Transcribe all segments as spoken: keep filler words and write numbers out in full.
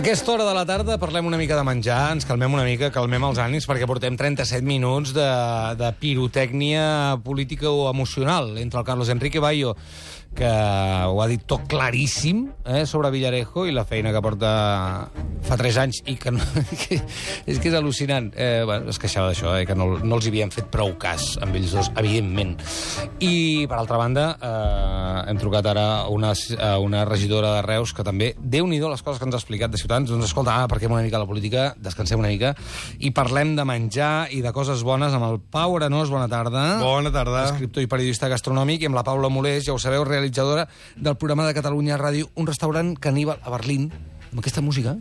aquesta hora de la tarda parlem una mica de menjar, ens calmem una mica, calmem els ànims, perquè portem trenta-set minuts de, de pirotècnia política o emocional entre el Carlos Enrique Bayo, que ho ha dit tot claríssim eh, sobre Villarejo i la feina que porta fa tres anys i que, no, que és que és al·lucinant. Eh, bueno, es queixava d'això, eh, que no, no els havien fet prou cas amb ells dos, evidentment. I, per altra banda, eh, hem trucat ara a una, a una regidora de Reus que també, Déu-n'hi-do les coses que ens ha explicat de Ciutadans, doncs escolta, ah, parquem una mica la política, descansem una mica i parlem de menjar i de coses bones amb el Pau Arenós. Bona tarda. Bona tarda. Escriptor i periodista gastronòmic, i amb la Paula Molés, ja ho sabeu, realitzadora del programa de Catalunya Ràdio, un restaurant caníbal a Berlín, amb aquesta música.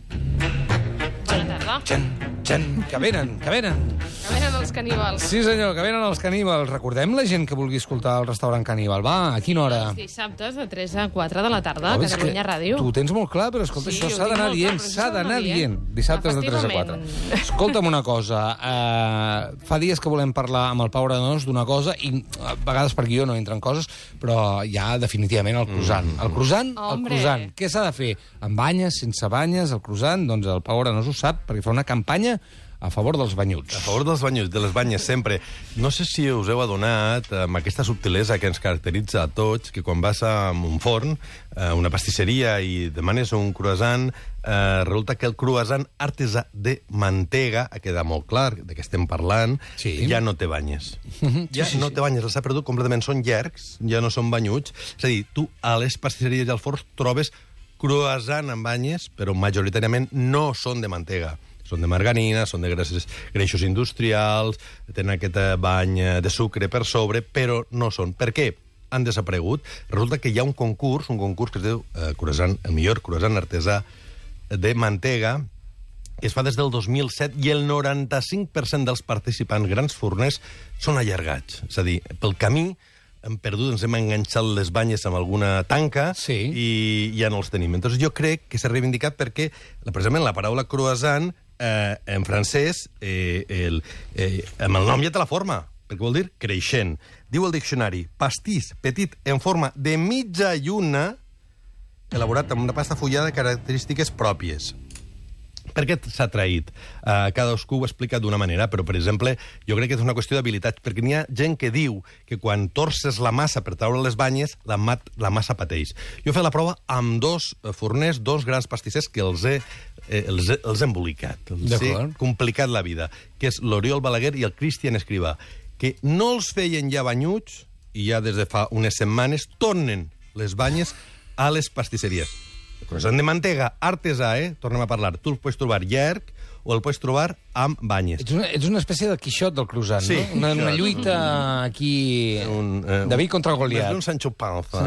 Bona tarda. Txan, txan, que venen, que venen. Que venen els caníbals. Sí, senyor, que venen els caníbals. Recordem la gent que vulgui escoltar el restaurant caníbal. Va, a quina hora? Els dissabtes de tres a quatre de la tarda, a Oh, és Catalunya que Ràdio. Tu ho tens molt clar, però escolta, Sí, això ho s'ha tinc d'anar molt dient, clar, però s'ha això s'ha d'anar d'anar dient. dient. Dissabtes de tres a quatre. Efectivament. Escolta'm una cosa, uh, fa dies que volem parlar amb el Pau Arenós d'una cosa, i a vegades per guió no entren coses, però ja definitivament el croissant. El croissant, el Hombre. croissant. Què s'ha de fer? Amb banyes, sense banyes, el croissant? Doncs el Pau Arenós ho sap, perquè fa una campanya a favor dels banyuts. A favor dels banyuts, de les banyes, sempre. No sé si us heu adonat amb aquesta subtilesa que ens caracteritza a tots, que quan vas a un forn, a una pastisseria, i demanes un croissant, eh, resulta que el croissant artesà de mantega, ha quedat molt clar de què estem parlant, Sí. ja no té banyes. Mhm, Ja sí, sí, no sí. té banyes, els ha perdut completament. Són llargs, ja no són banyuts. És a dir, tu a les pastisseries i als forns trobes croissant amb banyes, però majoritàriament no són de mantega. Són de margarina, són de greixos, greixos industrials, tenen aquest bany de sucre per sobre, però no són. Per què? Han desaparegut. Resulta que hi ha un concurs, un concurs que es diu eh, croissant, el millor croissant artesà de mantega, que es fa des del dos mil set, i el noranta-cinc per cent dels participants, grans forners, són allargats. És a dir, pel camí hem perdut, ens hem enganxat les banyes amb alguna tanca, Sí. i ja no els tenim. Entonces jo crec que s'ha reivindicat perquè, precisament, la paraula croissant, eh, en francès, eh, el, eh, amb el nom ja té la forma, perquè vol dir creixent. Diu el diccionari, pastís petit en forma de mitja lluna, elaborat amb una pasta fullada de característiques pròpies. Per què s'ha traït? Uh, cadascú ho ha explicat d'una manera, però, per exemple, jo crec que és una qüestió d'habilitat, perquè n'hi ha gent que diu que quan torces la massa per treure les banyes, la, mat, la massa pateix. Jo he fet la prova amb dos forners, dos grans pastissers que els he, eh, els he, els he embolicat, els he D'acord. complicat la vida, que és l'Oriol Balaguer i el Cristian Escrivà, que no els feien ja banyuts, i ja des de fa unes setmanes tornen les banyes a les pastisseries. El croissant de mantega artesà, eh? Tornem a parlar. Tu el pots trobar llarg o el pots trobar amb banyes. Ets una, ets una espècie de Quixot del croissant, Sí, no? Una, una Quixot. lluita aquí... Un, eh, David contra Goliat. Més d'un Sancho Panza.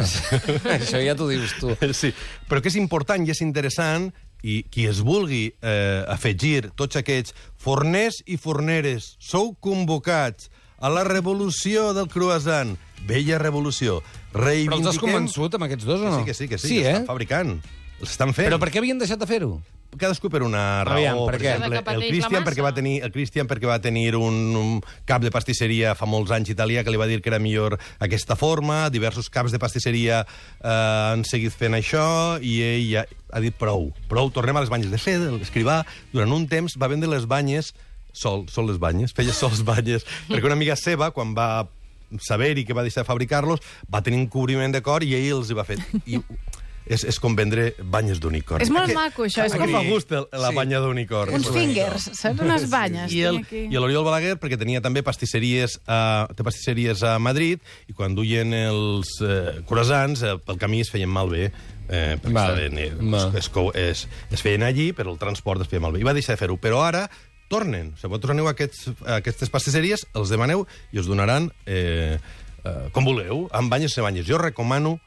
Això ja t'ho dius tu. Sí, però que és important i és interessant, i qui es vulgui eh, afegir, tots aquests forners i forneres, sou convocats a la revolució del croissant. Bella revolució. Però els has convençut amb aquests dos o no? Sí, que sí, que sí, Sí, que eh? estan fabricant. Els estan fent. Però per què havien deixat de fer-ho? Cadascú per una raó. Aviam, per per què? exemple, Que pateix el la Cristian massa. perquè va tenir el Cristian perquè va tenir un, un cap de pastisseria fa molts anys italià que li va dir que era millor aquesta forma, diversos caps de pastisseria eh, han seguit fent això, i ell ja ha dit prou, prou, tornem a les banyes. De fet, l'Escrivà, durant un temps, va vendre les banyes sol, sol les banyes, feia sols banyes, perquè una amiga seva, quan va saber-hi que va deixar de fabricar-los, va tenir un cobriment de cor i ell els hi va fer. I és, és com vendre banyes d'unicorn. És molt Perquè- maco, això, és a com- qui fa gust el- la Sí. banya d'unicorn. Uns fingers, saps? Unes banyes. I el, tinc aquí. i l'Oriol Balaguer, perquè tenia també pastisseries a, té pastisseries a Madrid, i quan duien els eh, croissants, eh, pel camí es feien malbé, eh, perquè Val. estaven, eh, Val. es, es, es, es feien allí, però el transport es feia malbé. I va deixar de fer-ho. Però ara tornen. Si vosaltres aneu a, aquests, a aquestes pastisseries, els demaneu i us donaran eh, eh, com vulgueu, amb banyes o banyes. Jo recomano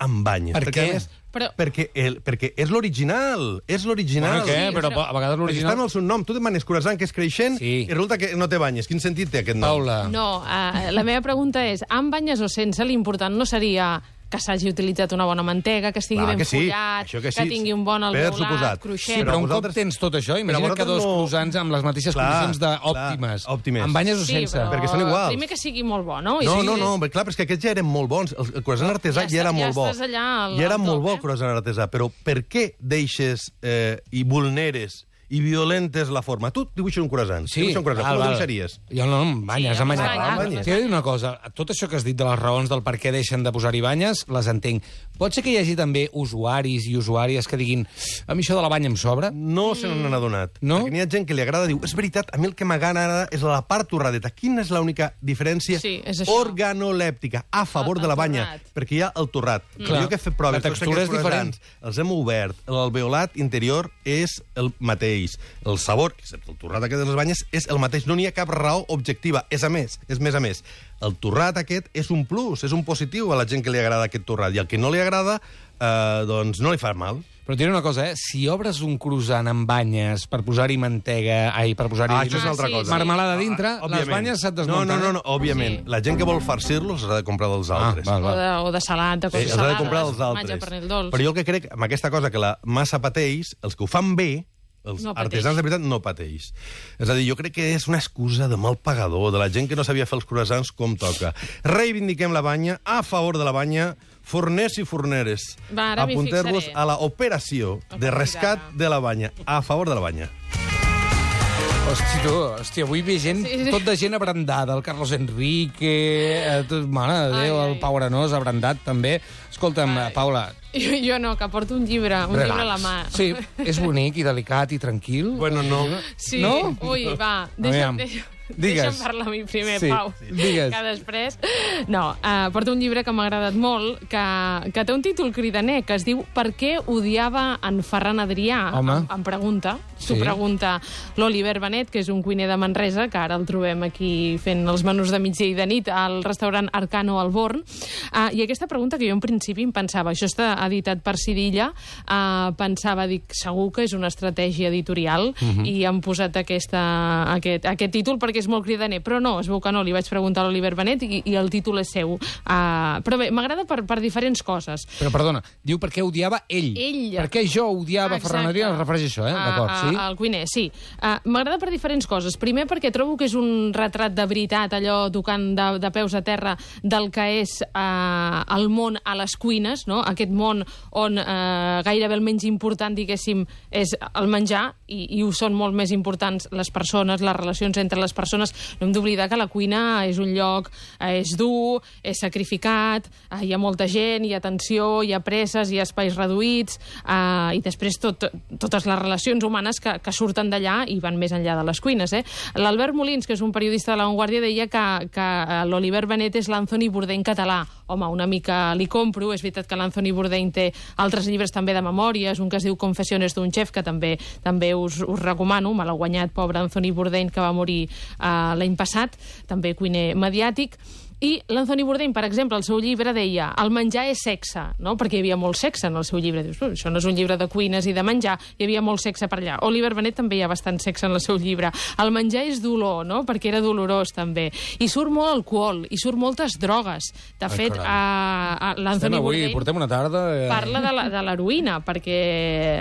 amb banyes. Per perquè, què? a més, Però- perquè, el, perquè és l'original. És l'original. Bueno, què? Sí, Però això- a vegades Perquè l'original... està en el seu nom. Tu demanes croissant, que és creixent, Sí. i resulta que no té banyes. Quin sentit té aquest nom? Paula. No, uh, la meva pregunta és, amb banyes o sense, l'important no seria que s'hagi utilitzat una bona mantega, que estigui Clar ben que sí, follat, això que, que sí. tingui un bon Per alveolat, suposat. cruixent. Sí, però un vosaltres- cop tens tot això, Però imagina't que vosaltres dos no- croissants amb les mateixes Clar, condicions clar, d'òptimes. òptimes. Amb banyes o Sí, sense. però Perquè són iguals. primer que sigui molt bo, no? I No, sí, no, no, clar, però és que aquests ja eren molt bons. El, el croissant artesà Ja ja, era està- ja molt bo. estàs allà al- Ja era al molt top, bo eh? el croissant artesà, però per què deixes eh, i vulneres i violentes la forma? Tu dibuixes un croissant. Sí, dibuixes un croissant. val, Com el val. dibuixaries? Jo no, amb banyes, Sí, amb amb banyes. banyes, Amb banyes. T'he de dir una cosa, tot això que has dit de les raons del per què deixen de posar-hi banyes, les entenc. Pot ser que hi hagi també usuaris i usuàries que diguin a mi això de la banya em sobra? No se n'han adonat. No? Perquè n'hi ha gent que li agrada, diu, és veritat, a mi el que m'agrada és la part torradeta. Quina és l'única diferència? Sí, és això. Organolèptica, a favor El- de la el banya, torrat. perquè hi ha el torrat. Mm. Clar. Jo que he fet proves, La tots textura aquests és diferent. croissants, els hem obert, l'alveolat interior és el mateix. El sabor, excepte el torrat aquest de les banyes, és el mateix. No n'hi ha cap raó objectiva. És a més, és més a més. El torrat aquest és un plus, és un positiu a la gent que li agrada aquest torrat. I al que no li agrada, eh, doncs no li fa mal. Però et diré una cosa, eh? Si obres un croissant amb banyes per posar-hi mantega, ai, per posar-hi Ah, això és una Ah, altra sí, cosa. sí. marmelada dintre, Ah, les òbviament. banyes se't No, desmunten. no, no, no, òbviament. Sí. La gent que vol farcir-los ha de comprar dels altres. Ah, val, O val. de, o de salat, de Eh, coses els ha salades. de comprar dels formatge, altres. pernil dolç. Però jo el que crec, amb aquesta cosa que la massa pateix, els que ho fan bé, els No pateix. artesans de veritat, no pateix. És a dir, jo crec que és una excusa de mal pagador, de la gent que no sabia fer els croissants com toca. Reivindiquem la banya, a favor de la banya, forners i forneres. Va, ara m'hi Apunteu-vos fixaré. a la operació de rescat de la banya, a favor de la banya. Hosti, tu, hòstia, avui ve gent, Sí, sí. tot de gent abrandada, el Carlos Enrique, eh, tot, mare de Déu, Ai, el ai. Pau Arenós, abrandat també. Escolta'm, Ai. Paula... Jo, jo no, que porto un llibre, un relax. llibre a la mà. Sí, és bonic i delicat i tranquil. Bueno, no. Sí, No? ui, va, deixa'm, Aviam, deixa'm, digues. deixa'm parlar a mi primer, Sí, Pau. digues. Que després... No, uh, porto un llibre que m'ha agradat molt, que, que té un títol cridaner, que es diu Per què odiava en Ferran Adrià? Home. Em, em pregunta, s'ho Sí. pregunta l'Oliver Benet, que és un cuiner de Manresa, que ara el trobem aquí fent els menús de migdia i de nit al restaurant Arcano al Born. Uh, I aquesta pregunta que jo en principi em pensava, això està editat per Sidilla, uh, pensava, dic, segur que és una estratègia editorial Mhm. i han posat aquesta, aquest, aquest títol perquè és molt cridaner, però no, es veu que no, li vaig preguntar a l'Oliver Benet i, i el títol és seu. Uh, però bé, m'agrada per, per diferents coses. Però, perdona, diu per què odiava ell. Ell. Per què jo odiava Exacte. Ferran Adrià? Es refereix a això, eh? A- D'acord, a- sí? Al cuiner, sí. Uh, M'agrada per diferents coses. Primer perquè trobo que és un retrat de veritat, allò tocant de, de peus a terra del que és uh, el món a les cuines, no? Aquest món on uh, gairebé el menys important, diguéssim, és el menjar i, i ho són molt més importants les persones, les relacions entre les persones. No hem d'oblidar que la cuina és un lloc, eh, és dur, és sacrificat, eh, hi ha molta gent, hi ha tensió, hi ha presses, hi ha espais reduïts, eh, i després tot, totes les relacions humanes que, que surten d'allà i van més enllà de les cuines. Eh? L'Albert Molins, que és un periodista de La Vanguardia, deia que, que l'Oliver Benet és l'Anthony Bourdain català. Home, una mica li compro, és veritat que l'Anthony Bourdain té altres llibres també de memòries, un que es diu Confessiones d'un xef, que també també us, us recomano, me l'ha guanyat, pobre Anthony Bourdain, que va morir uh, l'any passat, també cuiner mediàtic. I l'Anthony Bourdain, per exemple, al seu llibre deia el menjar és sexe, no? Perquè hi havia molt sexe en el seu llibre. Dius, això no és un llibre de cuines i de menjar, hi havia molt sexe per allà. Oliver Benet també hi ha bastant sexe en el seu llibre. El menjar és dolor, no? Perquè era dolorós també. I surt molt alcohol, i surt moltes drogues. De Ai, fet, caram. a, a, Estem l'Anthony avui, Bourdain portem una tarda... Eh... parla de la- de l'heroïna, perquè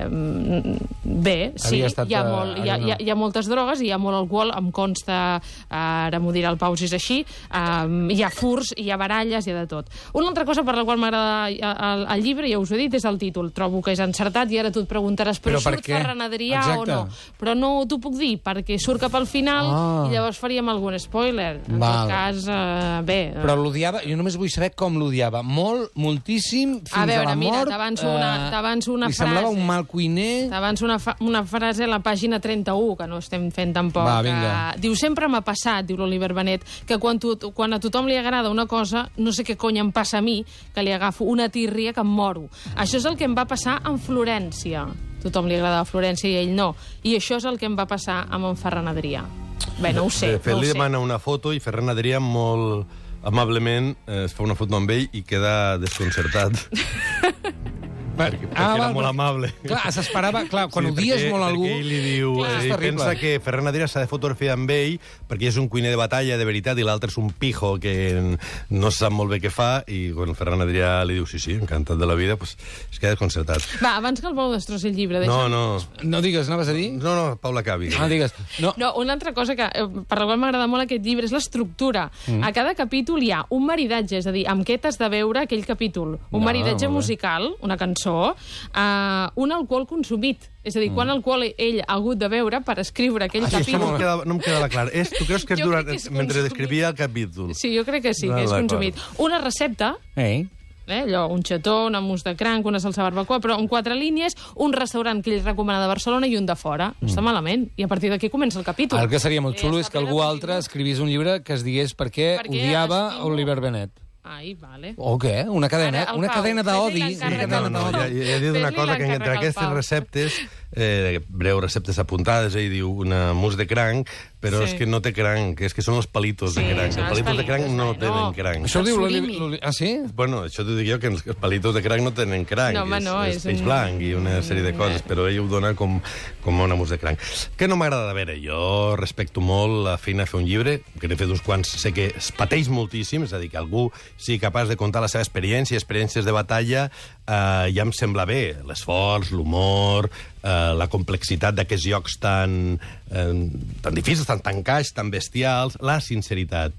mm, bé, sí, Havia estat, hi, ha eh, molt, hi, ha, no. hi, ha, hi ha moltes drogues, hi ha molt alcohol, em consta, eh, ara m'ho dirà el Pau si és així, eh, hi ha furs, hi ha baralles, hi ha de tot. Una altra cosa per la qual m'agrada el, el llibre, ja us ho he dit, és el títol. Trobo que és encertat i ara tu et preguntaràs, però, Però per surt què? Ferran Adrià Exacte. o no? Però no t'ho puc dir, perquè surt cap al final Ah. i llavors faríem algun spoiler. En Val. tot cas, eh, bé... eh, Però l'odiava, jo només vull saber com l'odiava. Molt, moltíssim, fins A veure, a la mira, mort. t'avanço una- t'avanço una li semblava frase. un mal cuiner. Abans una, fa una frase a la pàgina trenta-u, que no estem fent tampoc. Va, vinga. Que... Diu, sempre m'ha passat, diu l'Oliver Benet, que quan, tu, quan a tothom li agrada una cosa, no sé què cony em passa a mi, que li agafo una tírria que em moro. Això és el que em va passar amb Florència. Tothom li agradava Florència i ell no. I això és el que em va passar amb en Ferran Adrià. Bé, no ho sé, De fet, no ho li sé. demana una foto i Ferran Adrià molt amablement eh, es fa una foto amb ell i queda desconcertat. perquè, perquè era molt amable. Clar, s'esperava... Clar, quan Sí, odies perquè- molt algú... perquè ell li diu... Clar, és ell terrible. pensa que Ferran Adrià s'ha de fotografiar amb ell perquè és un cuiner de batalla, de veritat, i l'altre és un pijo que no sap molt bé què fa, i quan el Ferran Adrià li diu sí, sí, encantat de la vida, pues, es queda desconcertat. Va, abans que el Pau destrossi el llibre, No, deixa'm... no, No digues, anaves a dir? no, no, Paula Cavi. Ah, digues. No, No, una altra cosa que, eh, per la qual m'agrada molt aquest llibre és l'estructura. Mm. A cada capítol hi ha un maridatge, és a dir, amb què t'has de veure aquell capítol. Un No, maridatge molt bé. musical, una cançó, eh, un alcohol consumit. És a dir, mm. quan alcohol ell ha hagut de beure per escriure aquell Ah, sí, Això no capítol. em quedava, no em quedava clar. És, tu creus que és Jo durant, crec que és mentre consumit. descrivia el capítol? Sí, jo crec que sí, Ah, que és d'acord. consumit. Una recepta, Ei. eh, allò, un xató, una mousse de cranc, una salsa barbacoa, però en quatre línies, un restaurant que ell recomana de Barcelona i un de fora. No està malament. I a partir d'aquí comença el capítol. El que seria molt Eh, xulo està és que ple de algú contingut. altre escrivís un llibre que es digués per què Per què odiava estimo- Oliver Bennett. Ai, vale. O què? Una cadena, Ara, el una Pau, cadena d'odi. fes-li Una l'encàrrec cadena al No, no, Pau. ja, ja he dit una Fes-li cosa, que entre l'encàrrec al aquestes Pau. receptes, eh, breu receptes apuntades, ell diu una mousse de cranc, però Sí. és que no té cranc, és que són els palitos de Sí, cranc. són Els els palitos de cranc palitos, no bueno. tenen cranc. Això ho diu surimi. l'Oli- l'Oli- Ah, sí? Bueno, això t'ho dic jo, que els palitos de cranc no tenen cranc. No, home, és, no, és, és peix un- blanc i una sèrie de coses, però ell ho dona com, com una mousse de cranc. Que no m'agrada de veure. Jo respecto molt la feina de fer un llibre, que n'he fet uns quants, sé que es pateix moltíssim, és a dir, que algú sigui capaç de contar la seva experiència, experiències de batalla, eh, ja em sembla bé. L'esforç, l'humor, eh, la complexitat d'aquests llocs tan, eh, tan difícils, tan tancats, tan bestials, la sinceritat.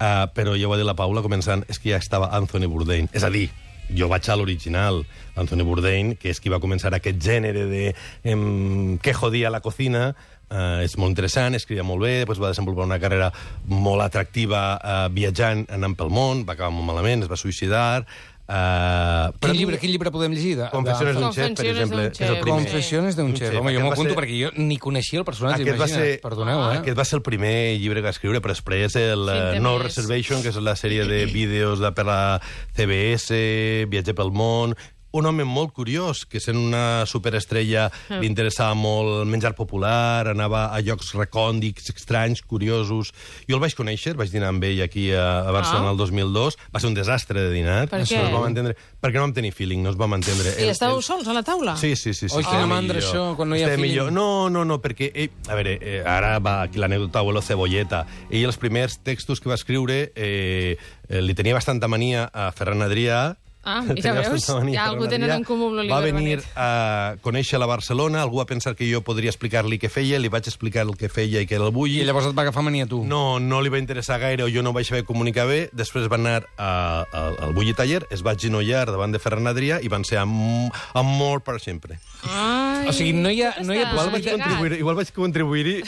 Uh, però jo ho va dir la Paula començant, és que ja estava Anthony Bourdain. És a dir, jo vaig a l'original, Anthony Bourdain, que és qui va començar aquest gènere de em, que jodia la cocina, uh, és molt interessant, escrivia molt bé, després va desenvolupar una carrera molt atractiva uh, viatjant, anant pel món, va acabar molt malament, es va suïcidar. Uh, Quin llibre, quin llibre podem llegir? De, Confessiones d'un xef, per Confessiones exemple, d'un és el xef. primer. Confessiones d'un Un xef. xef. Home, jo Aquest m'ho va apunto ser- perquè jo ni coneixia el personatge, Aquest va, imagina't. ser, Perdoneu, eh? aquest va ser el primer llibre que va escriure, però després el Sí, eh, té No més. Reservation, que és la sèrie de vídeos de per la C B S, Viatger pel món, un home molt curiós, que sent una superestrella li interessava molt el menjar popular, anava a llocs recòndics, estranys, curiosos. Jo el vaig conèixer, vaig dinar amb ell aquí a, a Barcelona Ah. el dos mil dos, va ser un desastre de dinar. Per no què? es vam entendre, perquè no vam tenir feeling, no es vam entendre. I estàveu sols a la taula? Sí, sí, sí. sí Oi, estava quina mandra, millor. això, quan no hi ha Estava feeling. millor. No, no, no, perquè... Ell, a veure, eh, ara va aquí l'anècdota abuelo cebolleta. Ell, els primers textos que va escriure, eh, eh, li tenia bastanta mania a Ferran Adrià. Ah, Tenia ja veus? bastanta mania a Ja Ferran algú tenen Adrià. en comú amb l'Oliver Va venir Benet. a conèixer-la a Barcelona, algú va pensar que jo podria explicar-li què feia, li vaig explicar el que feia i que era el bulli. I llavors et va agafar mania a tu. No, no li va interessar gaire o jo no ho vaig saber comunicar bé. Després va anar a, a, al Bulli Taller, es va genollar davant de Ferran Adrià i van ser am, amor per sempre. Ai, O sigui, no hi ha- tot no hi ha està Igual vaig lligat. contribuir, igual vaig contribuir-hi,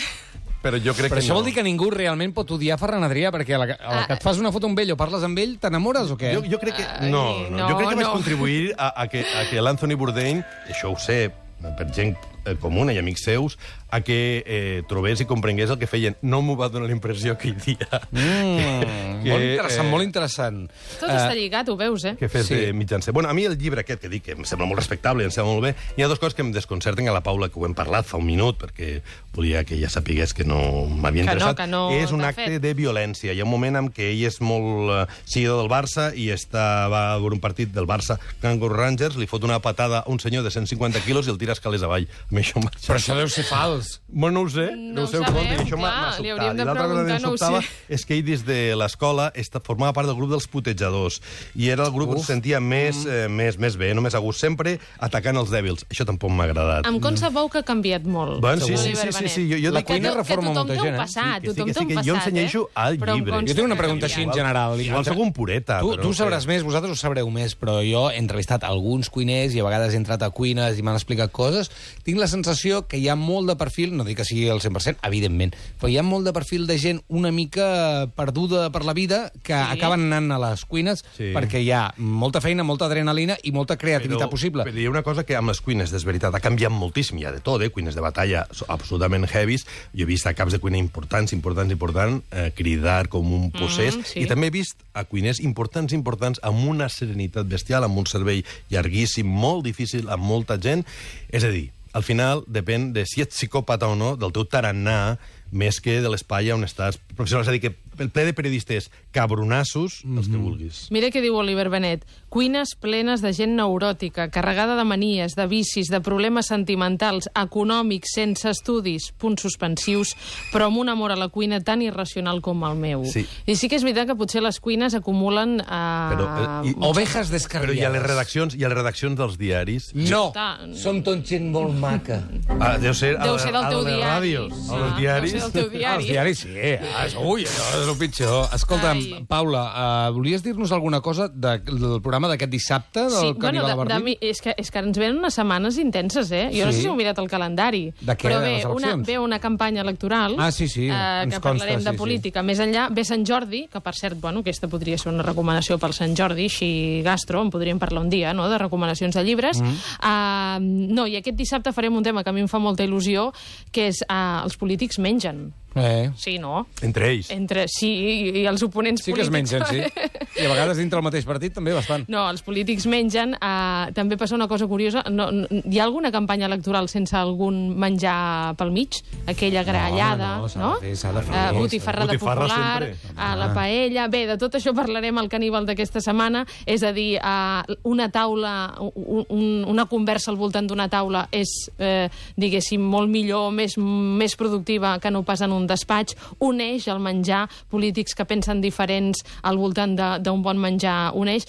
però jo crec Però que això no. vol dir que ningú realment pot odiar Ferran Adrià, perquè a la, que- a la que et fas una foto amb ell o parles amb ell, t'enamores o què? Jo, jo crec que... Ai, No, no, no, jo crec que vaig no. contribuir a, a que, a que l'Anthony Bourdain, això ho sé per gent eh, comuna i amics seus, a que eh, trobés i comprengués el que feien. No m'ho va donar la impressió que hi dia. Mm, Que, molt interessant, eh, molt interessant. Tot està lligat, ho veus, eh? que fes Sí. sí. de mitjancer. Bueno, a mi el llibre aquest, que dic que em sembla molt respectable i em sembla molt bé, hi ha dues coses que em desconcerten a la Paula, que ho hem parlat fa un minut, perquè volia que ella sapigués que no m'havia Que no, interessat. que no és un t'ha acte fet. de violència. Hi ha un moment en què ell és molt eh, seguidor del Barça i està, va a veure un partit del Barça Kangaroo Rangers, li fot una patada a un senyor de cent cinquanta quilos i el tira escales avall. A mi això m'ha... Però això deu ser fals. Bueno, no ho sé, No no, ho ho sé, ho sabem, conto, i això m'ha clar, m'ha li sobtat. hauríem de I l'altra cosa que preguntar, em no ho sobtava sé. és que ell des de l'escola esta- formava part del grup dels putejadors i era el grup on Uf. se sentia més, eh, més, més bé, no més a gust, sempre atacant els dèbils. Això tampoc m'ha agradat. Em concebeu que ha canviat molt. Bueno, sí, sí, Oliver sí, sí, Benet. sí, jo- jo La dic Que cuina to- reforma que tothom molta té un gent, eh? passat, Sí, que sí, tothom que té sí, un que passat, jo ensenyeixo eh? al Però em llibre. consta Jo tinc una que pregunta ha així en canviat. general. Igual sóc un pureta, Tu, però tu no ho sabràs sé. més, vosaltres ho sabreu més, però jo he entrevistat alguns cuiners i a vegades he entrat a cuines i m'han explicat coses. Tinc la sensació que hi ha molt de perfil, no dic que sigui el cent per cent, evidentment, però hi ha molt de perfil de gent una mica perduda per la vida que Sí. acaben anant a les cuines Sí. perquè hi ha molta feina, molta adrenalina i molta creativitat possible. Però hi ha una cosa que amb les cuines, és veritat, ha canviat moltíssim, hi ha de tot, eh? Cuines de batalla so- absolutament heavies. Jo he vist a caps de cuina importants, importants, importants, eh, cridar com un possés, sí. i també he vist a cuiners importants, importants, amb una serenitat bestial, amb un servei llarguíssim, molt difícil, amb molta gent. És a dir, al final depèn de si ets psicòpata o no, del teu tarannà, més que de l'espai on estàs professional. És a dir, que el ple de periodistes cabronassos, mm-hmm. els que vulguis. Mira què diu Oliver Benet. Cuines plenes de gent neuròtica, carregada de manies, de vicis, de problemes sentimentals, econòmics, sense estudis, punts suspensius, però amb un amor a la cuina tan irracional com el meu. Sí. I sí que és veritat que potser les cuines acumulen... Eh, Però, eh, i, ovejas descarriades. Però hi ha les redaccions, hi ha les redaccions dels diaris. No, Ta- som tot gent molt maca. Ah, deu ser, Deu ser del a, teu a les diari. ràdios, a Ah, les diaris. deu ser del teu diari. Ah, els diaris, sí. Ah, ui, això és el pitjor. Escolta'm, Ai. Paula, uh, volies dir-nos alguna cosa de, del programa d'aquest dissabte, del Sí, Caníbal bueno, a de, de, Berlín? mi- és, que, és que ens venen unes setmanes intenses, eh? Jo no Sí. sé si heu mirat el calendari. De què? Però De ve les una, eleccions? ve una campanya electoral Ah, sí, sí, eh, ens que consta, parlarem de sí, sí. política. Més enllà, ve Sant Jordi, que per cert, bueno, aquesta podria ser una recomanació pel Sant Jordi, així gastro, en podríem parlar un dia, no?, de recomanacions de llibres. Mm. Uh, no, i aquest dissabte farem un tema que a mi em fa molta il·lusió, que és uh, els polítics mengen. Eh. Sí, no? Entre ells. Entre, sí, i, i els oponents Sí que es polítics. mengen, sí. I a vegades dintre el mateix partit també bastant. No, els polítics mengen. Uh, també passa una cosa curiosa. No, no, hi ha alguna campanya electoral sense algun menjar pel mig? Aquella grallada, no, s'ha no? de fer, s'ha de fer. Uh, botifarra de Botifarra popular, sempre. uh, la paella... Bé, de tot això parlarem al Caníbal d'aquesta setmana. És a dir, uh, una taula, un, un, una conversa al voltant d'una taula és, eh, diguéssim, molt millor, més, més productiva que no pas en un despatx. Uneix el menjar, polítics que pensen diferents al voltant d'un bon menjar uneix.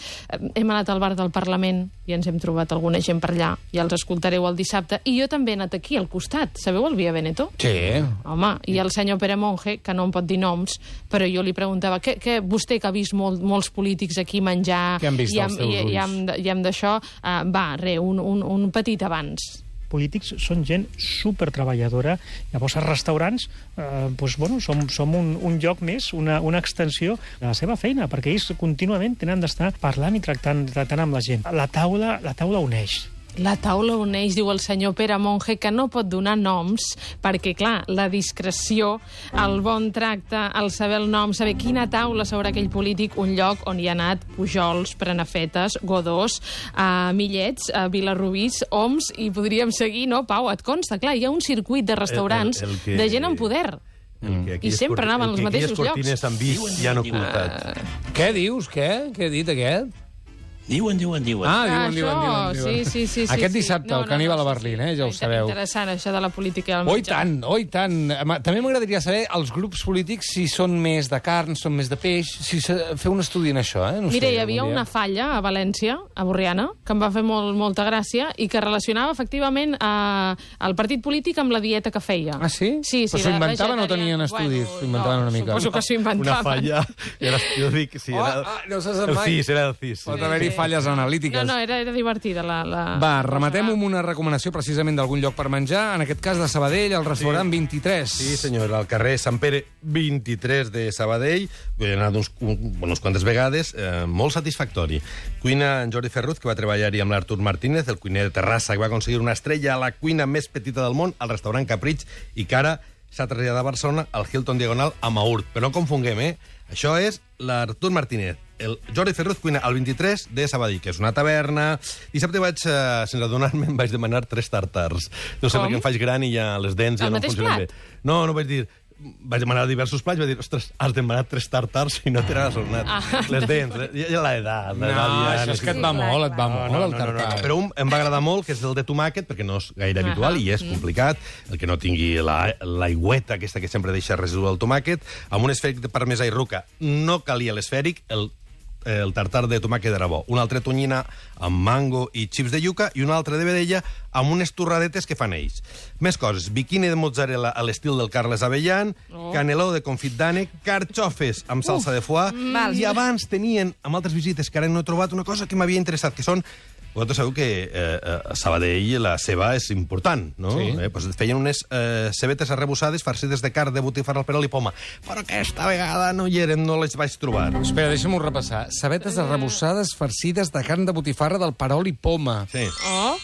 Hem anat al bar del Parlament i ens hem trobat alguna gent per allà, ja els escoltareu el dissabte, i jo també he anat aquí al costat, sabeu el Via Veneto? Sí. Home, i el senyor Pere Monge, que no em pot dir noms, però jo li preguntava, què, què, vostè que ha vist molt, molts polítics aquí menjar... Què han vist i els teus i, i, ulls? amb, i amb d'això, uh, va, re, un, un, un petit abans. Polítics són gent supertreballadora. Llavors, els restaurants eh, doncs, bueno, som, som un, un lloc més, una, una extensió de la seva feina, perquè ells contínuament tenen d'estar parlant i tractant, tractant amb la gent. La taula, la taula uneix. La taula uneix, diu el senyor Pere Monge, que no pot donar noms, perquè, clar, la discreció, el bon tracte, el saber el nom, saber quina taula sobre aquell polític, un lloc on hi ha anat Pujols, Prenafetes, Godós, uh, Millets, uh, Vilarrubís, Oms, i podríem seguir, no, Pau? Et consta, clar, hi ha un circuit de restaurants El- el- el que- de gent amb poder. El que I sempre corti- anaven el als que mateixos aquelles cortines llocs. han vist i han ocultat. Què dius, què? Què ha dit aquest? Diuen, diuen, diuen. Ah, diuen, Això, diuen, diuen, diuen. sí, sí, sí, sí. Aquest sí. dissabte, No, el no, Caníbal no, a sí, Berlín, sí. eh, ja ho Inter- sabeu. Interessant, això de la política i el Oh, i menjar. tant, oh, i tant. Home, també m'agradaria saber els grups polítics si són més de carn, són més de peix, si se... fer un estudi en això, eh? No Mira, sé, hi havia algun dia. una falla a València, a Borriana, que em va fer molt, molta gràcia i que relacionava efectivament eh, el partit polític amb la dieta que feia. Ah, sí? Sí, sí. Però s'ho de inventaven o tenien vegetarià. estudis? S'ho inventaven no, una mica. Suposo que s'ho inventaven. Una falla. Era, jo dic, sí, Oh, era... ah, no se sap el mai. C I S, era el C I S. Pot haver-hi falles analítiques. No, no, era, era divertida la... la Va, rematem amb una recomanació precisament d'algun lloc per menjar, en aquest cas de Sabadell, al restaurant Sí. vint-i-tres. Sí, senyor, al carrer Sant Pere vint-i-tres de Sabadell. He anat uns, un, unes quantes vegades, eh, molt satisfactori. Cuina en Jordi Ferruz, que va treballar-hi amb l'Artur Martínez, el cuiner de Terrassa, que va aconseguir una estrella a la cuina més petita del món, al restaurant Capritx, i que ara s'ha traslladat a Barcelona al Hilton Diagonal a Maurt. Però no confonguem, eh? Això és l'Artur Martínez. El Jordi Ferruz cuina al vint-i-tres de Sabadell, que és una taverna. Dissabte vaig, eh, sense adonar-me, em vaig demanar tres tartars. No sé, Com? perquè em faig gran i ja les dents ja El no mateix funcionen plat? bé. No, no vaig dir... Vaig demanar diversos plats, vaig dir, ostres, has demanat tres tartars i no te n'has adonat. Ah, les dents, les, ja, ja l'edat. No, l'edat ja això és que et va Sí, clar, molt, et va clar. molt, no, no, el no, no, tartar. no. Però un em va agradar molt, que és el de tomàquet, perquè no és gaire Ahà. habitual i és complicat, el que no tingui la, l'aigüeta aquesta que sempre deixa residu del tomàquet, amb un esfèric de parmesà i ruca. No calia l'esfèric, el el tartar de tomàquet era bo. Una altra tonyina amb mango i xips de yuca i una altra de vedella amb unes torradetes que fan ells. Més coses. Biquini de mozzarella a l'estil del Carles Avellan, Oh. caneló de confit d'ànec, carxofes amb salsa de foie, Mm. i abans tenien, amb altres visites que ara no he trobat, una cosa que m'havia interessat, que són... Vosaltres sabeu que eh, a Sabadell la ceba és important, no? Sí. Eh, doncs feien unes eh, cebetes arrebossades farcides de carn, de botifarra al perol i poma. Però aquesta vegada no hi eren, no les vaig trobar. Espera, deixa'm-ho repassar. Sabetes arrebossades farcides de carn de botifarra del perol i poma. Sí. Oh,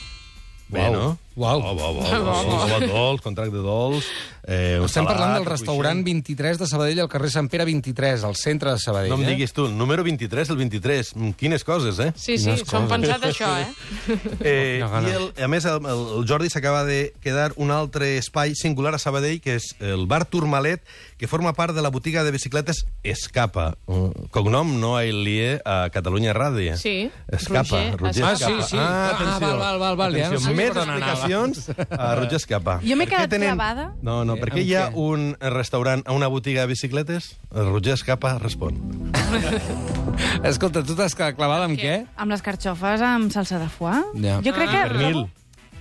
Bé, no? Uau. Oh, bo, bo, bo, bo, bo, dolç, contracte dolç. Eh, Estem salat, parlant del restaurant cruixent. vint-i-tres de Sabadell, al carrer Sant Pere vint-i-tres, al centre de Sabadell. No em eh? diguis tu, el número vint-i-tres, el vint-i-tres. Mm, Quines coses, eh? Sí, sí, Quines s'ho han coses. pensat això, eh? Eh, No, no. I el, a més, el, el Jordi s'acaba de quedar un altre espai singular a Sabadell, que és el bar Tourmalet, que forma part de la botiga de bicicletes Escapa. Uh, cognom no el lié a Catalunya Ràdio. Sí, Escapa, Roger Roger Ah, Escapa. sí, sí. Ah, atenció. Ah, val, val, val, val, ja Atenció, no sé més per on anava. explicacions a Roger Escapa. Jo m'he Per què quedat clavada. No, no, Eh, per què amb hi ha què? un restaurant a una botiga de bicicletes? El Roger Escapa respon. Escolta, tu t'has quedat clavada amb què? Amb les carxofes amb salsa de foie. Ja. Jo crec Ah, que... I pernil.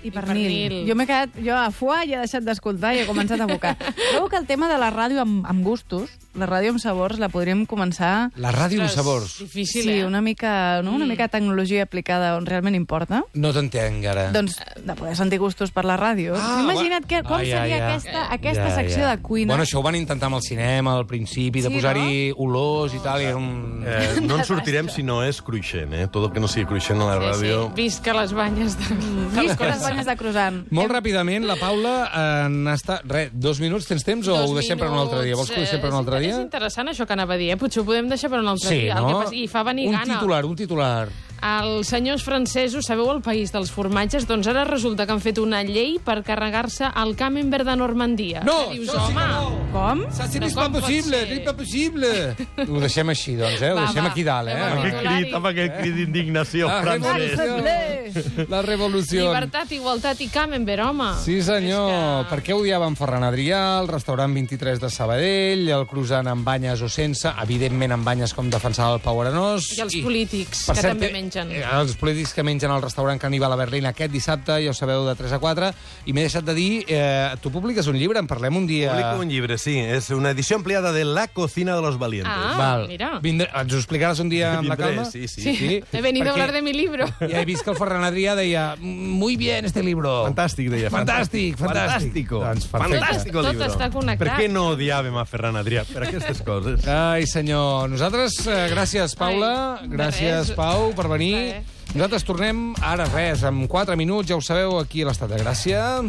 I pernil. pernil. Jo m'he quedat... Jo a foie ja he deixat d'escoltar i he començat a bocar. Trobo que el tema de la ràdio amb, amb gustos, la ràdio amb sabors, la podríem començar... La ràdio amb Ostres, sabors. Difícil, Sí, eh? una mica, no? una Mm. mica de tecnologia aplicada on realment importa. No t'entenc, ara. Doncs de poder sentir gustos per la ràdio. Ah, Imagina't que, com Ah, ja, seria ja. aquesta, aquesta secció de cuina. Bueno, això ho van intentar amb el cinema al principi, de Sí, posar-hi olors i tal, i era un... Eh, no en sortirem si no és cruixent, eh? Tot el que no sigui cruixent a la Sí, ràdio... sí. Visca les banyes de... Visca les banyes de croissant. Molt ràpidament, la Paula eh, n'ha estat... Res, dos minuts, tens temps o Dos ho deixem per un altre dia? Vols que ho deixem per un altre Eh, dia? És interessant això que anava a dir, eh? Potser ho podem deixar per un altre Sí, dia. El no? que passa, I fa venir un gana. titular, un titular. Els senyors francesos, sabeu el país dels formatges? Doncs ara resulta que han fet una llei per carregar-se el Camembert de Normandia. No, Que dius, això sí que home, no. Com? Ça, c'est Però pas com pot possible, ser? c'est pas possible. Ho deixem així, doncs, eh? Ho Va, deixem va. aquí dalt, eh? Fem el Amb aquest titular crit, i- amb aquest crit d'indignació Ah, francès. revolució. La revolució. Llibertat, igualtat i Camembert, home. Sí, senyor. És que- Per què odiaven Ferran Adrià, el restaurant vint-i-tres de Sabadell, el croissant amb banyes o sense, evidentment amb banyes com defensava el Pau Arenós. I els polítics, per que cert, també eh, mengen. eh, Els polítics que mengen al restaurant Caníbal a Berlín aquest dissabte, ja ho sabeu, de tres a quatre. I m'he deixat de dir, eh, tu publiques un llibre, en parlem un dia... Publico un llibre, sí. És una edició ampliada de La cocina de los valientes. Ah, Val. mira. Vindré, ens ho explicaràs un dia amb la Vindré, calma? sí, sí. Sí, he venido a perquè hablar de mi libro. Ja he vist que el Ferran Adrià deia muy bien este libro. Fantàstic, deia. Fantàstic, fantàstic. Fantàstico. Doncs perfecte. Fantàstico Tot libro. està connectat. Per què no odiàvem a Ferran Adrià? Per aquestes coses. Ai, senyor. Nosaltres, eh, gràcies, Paula. Ai, de gràcies, res. Pau, per venir. Res. Nosaltres tornem ara res, en quatre minuts, ja ho sabeu, aquí a l'Estat de Gràcia.